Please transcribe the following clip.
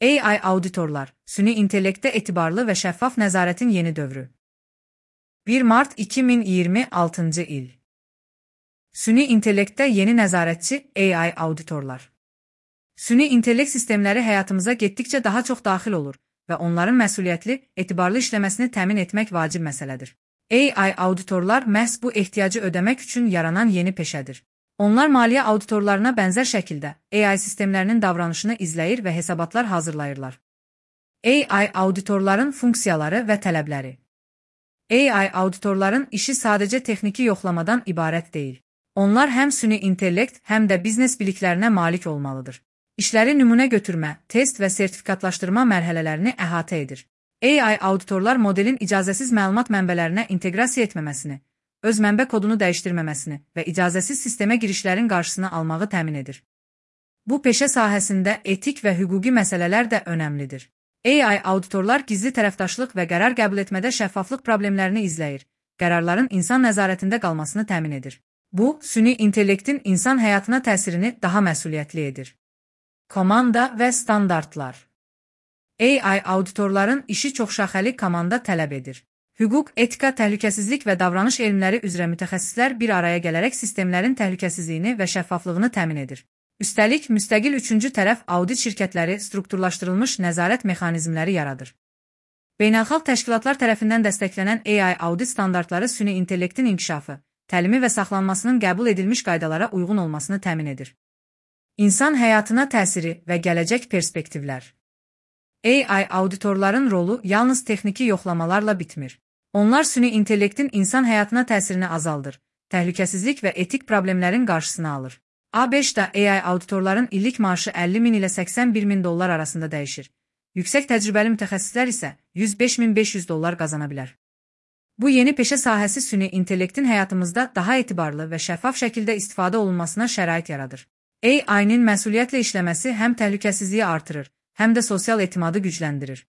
AI auditorlar, süni intellektdə etibarlı və şəffaf nəzarətin yeni dövrü. 1 Mart 2026-cı il. Süni intellektdə yeni nəzarətçi AI auditorlar. Süni intellekt sistemləri həyatımıza getdikcə daha çox daxil olur və onların məsuliyyətli, etibarlı işləməsini təmin etmək vacib məsələdir. AI auditorlar məhz bu ehtiyacı ödəmək üçün yaranan yeni peşədir. Onlar maliyyə auditorlarına bənzər şəkildə AI sistemlərinin davranışını izləyir və hesabatlar hazırlayırlar. AI auditorların funksiyaları və tələbləri. AI auditorların işi sadəcə texniki yoxlamadan ibarət deyil. Onlar həm süni intellekt, həm də biznes biliklərinə malik olmalıdır. İşləri nümunə götürmə, test və sertifikatlaşdırma mərhələlərini əhatə edir. AI auditorlar modelin icazəsiz məlumat mənbələrinə inteqrasiya etməməsini, öz mənbə kodunu dəyişdirməməsini və icazəsiz sistemə girişlərin qarşısını almağı təmin edir. Bu peşə sahəsində etik və hüquqi məsələlər də önəmlidir. AI auditorlar gizli tərəfdaşlıq və qərar qəbul etmədə şəffaflıq problemlərini izləyir, qərarların insan nəzarətində qalmasını təmin edir. Bu, süni intellektin insan həyatına təsirini daha məsuliyyətli edir. Komanda və standartlar. AI auditorların işi çoxşaxəli komanda tələb edir. Hüquq, etika, təhlükəsizlik və davranış elmləri üzrə mütəxəssislər bir araya gələrək sistemlərin təhlükəsizliyini və şəffaflığını təmin edir. Üstəlik, müstəqil üçüncü tərəf audit şirkətləri strukturlaşdırılmış nəzarət mexanizmləri yaradır. Beynəlxalq təşkilatlar tərəfindən dəstəklənən AI audit standartları süni intellektin inkişafı, təlimi və saxlanmasının qəbul edilmiş qaydalara uyğun olmasını təmin edir. İnsan həyatına təsiri və gələcək perspektivlər. AI auditorların rolu yalnız texniki yoxlamalarla bitmir. Onlar süni intellektin insan həyatına təsirini azaldır, təhlükəsizlik və etik problemlərin qarşısını alır. ABŞ-da AI auditorların illik maaşı 50 min ilə 81 min dollar arasında dəyişir. Yüksək təcrübəli mütəxəssislər isə 105.500 dollar qazana bilər. Bu yeni peşə sahəsi süni intellektin həyatımızda daha etibarlı və şəffaf şəkildə istifadə olunmasına şərait yaradır. AI-nin məsuliyyətlə işləməsi həm təhlükəsizliyi artırır, həm də sosial etimadı gücləndirir.